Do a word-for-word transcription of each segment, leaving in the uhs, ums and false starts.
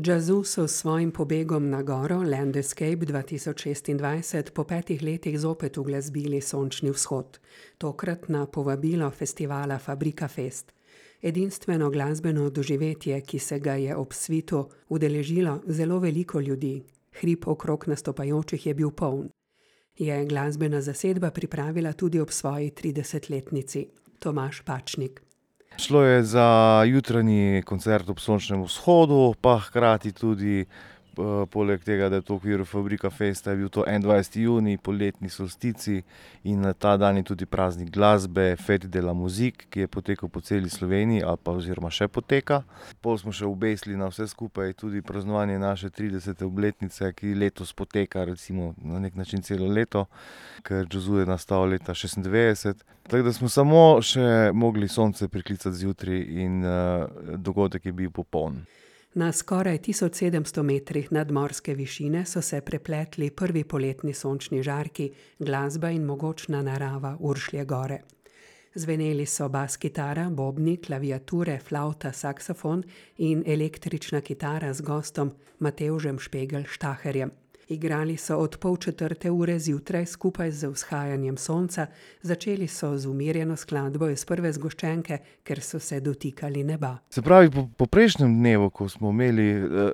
Jazzu so s svojim pobegom na goro Land Escape dva tisoč šestindvajset po petih letih zopet uglasbili sončni vzhod, tokrat na povabilo festivala Fabrika Fest. Edinstveno glasbeno doživetje, ki se ga je ob svitu udeležilo zelo veliko ljudi. Hrib okrog nastopajočih je bil poln. Je glasbena zasedba pripravila tudi ob svoji tridesetletnici. Tomaž Pačnik. Šlo je za jutranji koncert ob sončnem vzhodu, pa hkrati tudi poleg tega, da je to v okviru Fabrika Festa, je bil to enaindvajseti junij, poletni solstici in na ta dan je tudi praznik glasbe, Fête de la musique, ki je potekal po celi Sloveniji ali pa oziroma še poteka. Pol smo še obesili na vse skupaj tudi praznovanje naše tridesete obletnice, ki letos poteka recimo na nek način celo leto, ker jazzu je nastal leta šestindevetdeset. Tako da smo samo še mogli sonce priklicati zjutraj in uh, dogodek je bil popoln. Na skoraj tisoč sedemsto metrih nadmorske višine so se prepletli prvi poletni sončni žarki, glasba in mogočna narava Uršlje gore. Zveneli so bas kitara, bobni, klaviature, flavta, saksofon in električna kitara z gostom Matevžem Špegel Štaherjem. Igrali so od pol četrte ure zjutraj skupaj z vzhajanjem sonca, začeli so z umirjeno skladbo iz prve zgoščenke, ker so se dotikali neba. Se pravi, po, po prejšnjem dnevu, ko smo imeli, uh,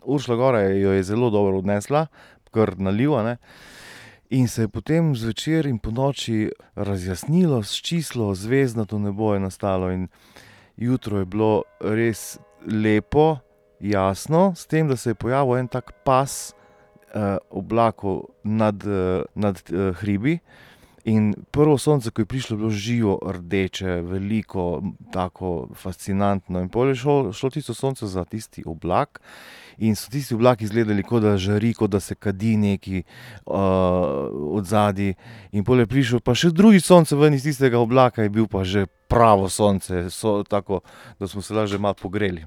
Uršlja gora jo je zelo dobro odnesla, kar naliva, ne? In se je potem zvečer in ponoči razjasnilo, sčislo, zvezdnato nebo je nastalo in jutro je bilo res lepo, jasno, s tem, da se je pojavil en tak pas oblakov nad, nad hribi in prvo sonce, ko je prišlo, je bilo živo rdeče, veliko, tako fascinantno in pol je šlo, šlo tisto sonce za tisti oblak in so tisti oblaki izgledali, kot da žari, kot da se kadi neki uh, odzadaj in pol je prišel pa še drugi sonce ven iz tistega oblaka, je bil pa že pravo sonce, so, tako, da smo se lahko že malo pogreli.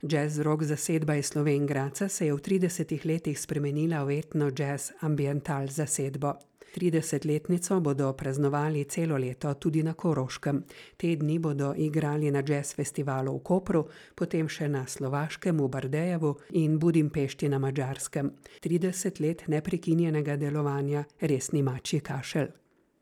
Jazz rock zasedba iz Slovenj Gradca se je v tridesetih letih spremenila v etno jazz ambiental zasedbo. tridesetletnico bodo praznovali celo leto tudi na Koroškem. Te dni bodo igrali na jazz festivalu v Kopru, potem še na Slovaškem v Bardejevu in Budimpešti na Madžarskem. trideset let neprekinjenega delovanja res ni mačji kašelj.